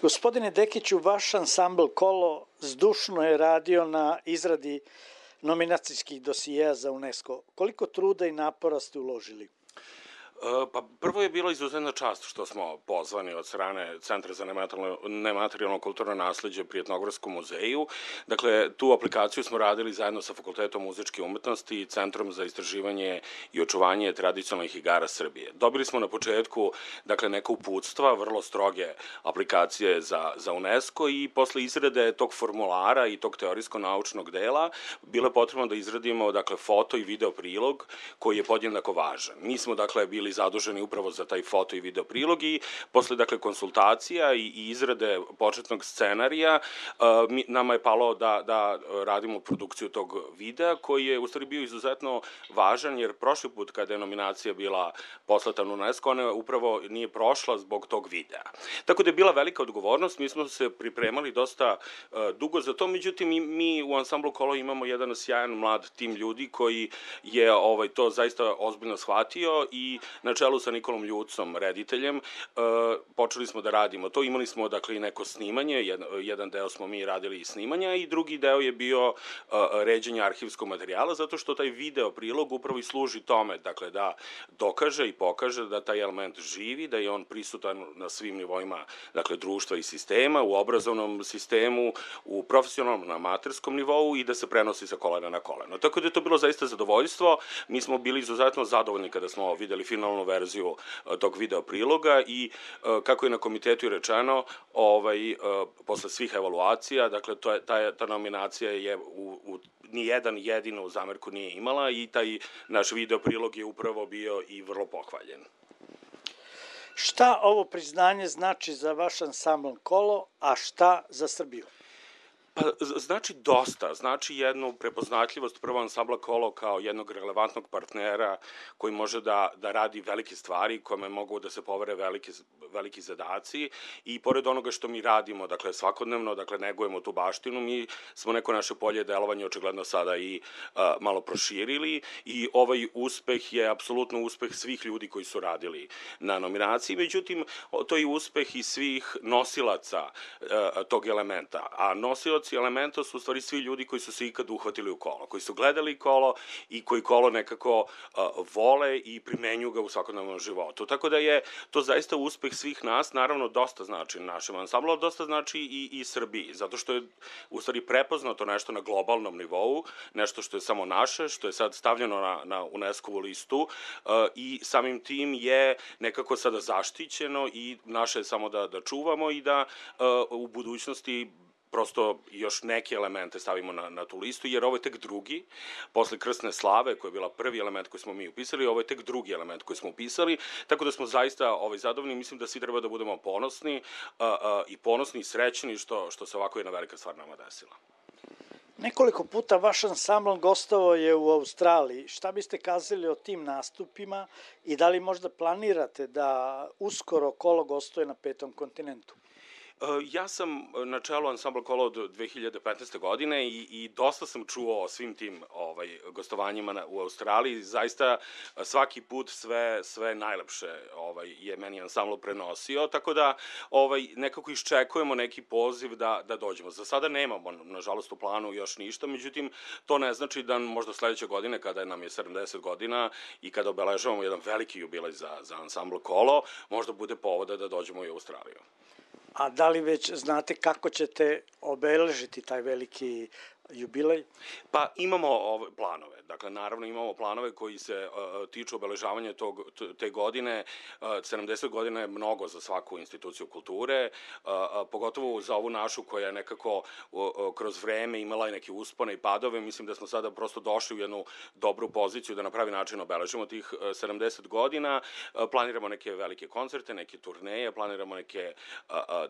Gospodine Dekiću, vaš ansambl Kolo zdušno je radio na izradi nominacijskih dosijeja za UNESCO. Koliko truda i napora ste uložili? Pa prvo je bilo izuzetna čast što smo pozvani od strane Centra za nematerijalno kulturno nasleđe pri Etnogradskom muzeju. Dakle, tu aplikaciju smo radili zajedno sa Fakultetom muzičke umetnosti i Centrom za istraživanje i očuvanje tradicionalnih igara Srbije. Dobili smo na početku, dakle, neka uputstva, vrlo stroge aplikacije za UNESCO i posle izrade tog formulara i tog teorijsko-naučnog dela bilo je potrebno da izradimo, dakle, foto i video prilog koji je podjednako važan. Mi smo, dakle, bili zaduženi upravo za taj foto i video prilog i posle, dakle, konsultacija i izrade početnog scenarija nama je palo da radimo produkciju tog videa koji je u stvari bio izuzetno važan jer prošli put kada je nominacija bila poslata na UNESCO, ona upravo nije prošla zbog tog videa. Tako da je bila velika odgovornost, mi smo se pripremali dosta dugo za to, međutim mi u ansamblu Kolo imamo jedan sjajan mlad tim ljudi koji je to zaista ozbiljno shvatio i na čelu sa Nikolom Ljucom, rediteljem, počeli smo da radimo to. Imali smo, dakle, i neko snimanje, jedan deo smo mi radili i snimanja i drugi deo je bio ređenje arhivskog materijala, zato što taj video prilog upravo i služi tome, dakle, da dokaže i pokaže da taj element živi, da je on prisutan na svim nivoima, dakle, društva i sistema, u obrazovnom sistemu, u profesionalnom, na amaterskom nivou i da se prenosi sa kolena na koleno. Tako da je to bilo zaista zadovoljstvo. Mi smo bili izuzetno zadovoljni kada smo videli finalnu verziju tog video priloga i kako je na komitetu rečeno, posle svih evaluacija, dakle, ta nominacija je ni jedan jedinu zamerku nije imala i taj naš video prilog je upravo bio i vrlo pohvaljen. Šta ovo priznanje znači za vaš ansambl Kolo, a šta za Srbiju? Pa, znači dosta, znači jednu prepoznatljivost prvo ansambla Kolo kao jednog relevantnog partnera koji može da radi velike stvari, kome mogu da se povere veliki zadaci i pored onoga što mi radimo, dakle, svakodnevno, dakle, negujemo tu baštinu, mi smo neko naše polje delovanja očigledno sada i malo proširili i ovaj uspeh je apsolutno uspeh svih ljudi koji su radili na nominaciji, međutim, to je uspeh i svih nosilaca tog elementa, a nosilac elementa su u stvari svi ljudi koji su se ikad uhvatili u Kolo, koji su gledali Kolo i koji Kolo nekako vole i primenjuju ga u svakodnevnom životu. Tako da je to zaista uspeh svih nas, naravno dosta znači našem ansamblu, ali dosta znači i Srbiji, zato što je u stvari prepoznato nešto na globalnom nivou, nešto što je samo naše, što je sad stavljeno na UNESCO-vu listu i samim tim je nekako sada zaštićeno i naše je samo da čuvamo i da u budućnosti prosto još neke elemente stavimo na tu listu, jer ovo je tek drugi, posle Krsne slave, koja je bila prvi element koji smo mi upisali, ovo je tek drugi element koji smo upisali, tako da smo zaista zadovoljni, mislim da svi treba da budemo ponosni i srećni što se ovako jedna velika stvar nama desila. Nekoliko puta vaš ansambl gostovao je u Australiji. Šta biste kazali o tim nastupima i da li možda planirate da uskoro Kolo gostuje na 5. kontinentu? Ja sam na čelu ansambla Kolo od 2015. godine i dosta sam čuo o svim tim gostovanjima u Australiji. Zaista svaki put sve najlepše je meni ansambl prenosio, tako da nekako iščekujemo neki poziv da dođemo. Za sada nemamo, nažalost, u planu još ništa, međutim, to ne znači da možda sledeće godine, kada nam je 70 godina i kada obeležavamo jedan veliki jubilej za ansambl Kolo, možda bude povoda da dođemo i u Australiju. A da li već znate kako ćete obeležiti taj veliki jubilej? Pa imamo planove, dakle naravno imamo planove koji se tiču obeležavanja te godine. 70 godina je mnogo za svaku instituciju kulture, pogotovo za ovu našu koja je nekako kroz vreme imala i neke uspone i padove. Mislim da smo sada prosto došli u jednu dobru poziciju da na pravi način obeležimo tih 70 godina. Planiramo neke velike koncerte, neke turneje, planiramo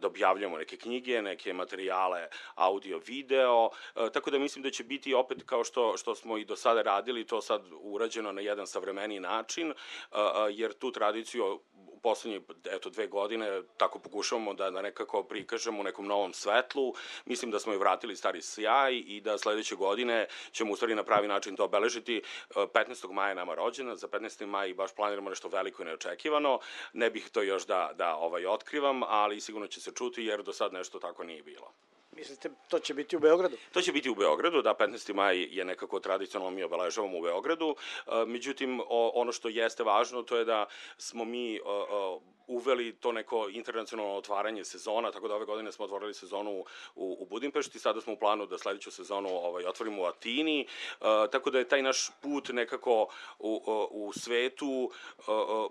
da objavljamo neke knjige, neke materijale audio, video, tako tako da mislim da će biti opet kao što smo i do sada radili, to sad urađeno na jedan savremeniji način, jer tu tradiciju u poslednje, 2 godine tako pokušavamo da nekako prikažemo u nekom novom svetlu. Mislim da smo i vratili stari sjaj i da sledeće godine ćemo u stvari na pravi način to obeležiti. 15. maja je nama rođena, za 15. maj baš planiramo nešto veliko i neočekivano. Ne bih to još da otkrivam, ali sigurno će se čuti jer do sad nešto tako nije bilo. Mislite, to će biti u Beogradu? To će biti u Beogradu, da, 15. maj je nekako tradicionalno mi obeležavamo u Beogradu. Međutim, ono što jeste važno, to je da smo mi uveli to neko internacionalno otvaranje sezona, tako da ove godine smo otvorili sezonu u Budimpešti, sada smo u planu da sledeću sezonu otvorimo u Atini, tako da je taj naš put nekako u svetu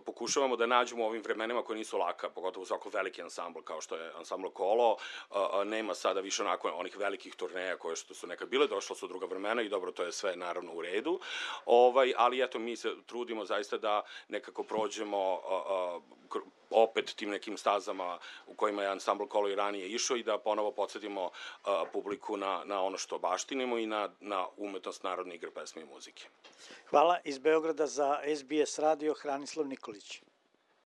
pokušavamo da nađemo u ovim vremenima koje nisu laka, pogotovo svako veliki ansambl kao što je ansambl Kolo, nema sada više onako onih velikih turneja koje što su nekad bile, došla su druga vremena i dobro, to je sve naravno u redu, ali eto, mi se trudimo zaista da nekako prođemo opet tim nekim stazama u kojima je ansambl Kolo i ranije išao i da ponovo podsjetimo publiku na ono što baštinimo i na umetnost narodne igre, pesme i muzike. Hvala. Iz Beograda za SBS radio Hranislav Nikolić.